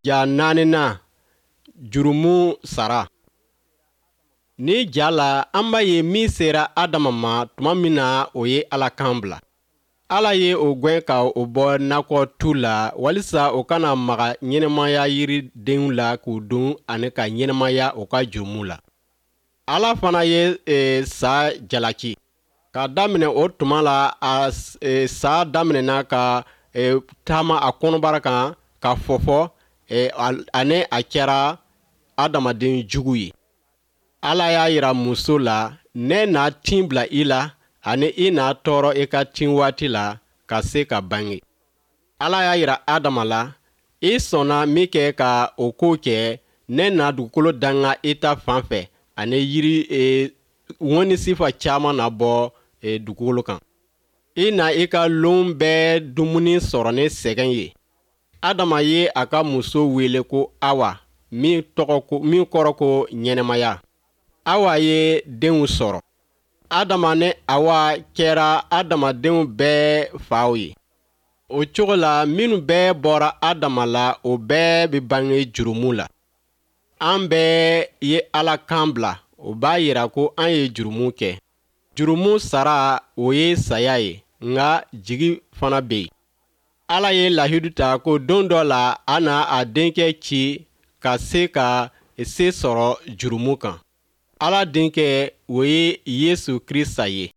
Ja naaninan, jurumu sara. Ni ja la, an b'a ye min sera Adama ma tuma min na o ye Ala kan bila. Ala ye o gwɛn ka o bɔ nakɔ tu la walisa o kana maga ɲɛnamaya yiridenw la k'u dun ani ka ɲɛnamaya o ka jurumu la. Ala fana ye sa jalaki. Ka daminɛ o tuma la, a sa daminɛna ka taama a kɔnɔbara kan ka fɔfɔ ani a kɛra adamaden jugu ye. Ala y'a yira muso la, ne na tin bila i la ani i na tɔɔrɔ i ka tin waati la ka se ka bange. Ala y'a yira Adama la, i sɔnna min kɛ ka o ko kɛ, ne na dugukolo danga i ta fan fɛ ani yiri ŋɔni sifa caman na bɔ dugukolo kan. I na i ka lon bɛɛ dumuni sɔrɔ ni sɛgɛn ye. Adama ye a ka muso wele ko Awa, min kɔrɔ ko ɲɛnamaya. Awa ye denw sɔrɔ. Adama ni Awa kɛra adamadenw bɛɛ faw ye. O cogo la, minnu bɛɛ bɔra Adama la, o bɛɛ bɛ bange jurumu la. An bɛɛ ye Ala kan bila, o b'a yira ko an ye jurumu kɛ. Jurumu sara, o ye saya ye, nka jigi fana bɛ yen. Ala ye lahidu ta ko don dɔ la a na a denkɛ ci ka se ka se sɔrɔ jurumu kan. Ala denkɛ, o ye Yesu Krista ye.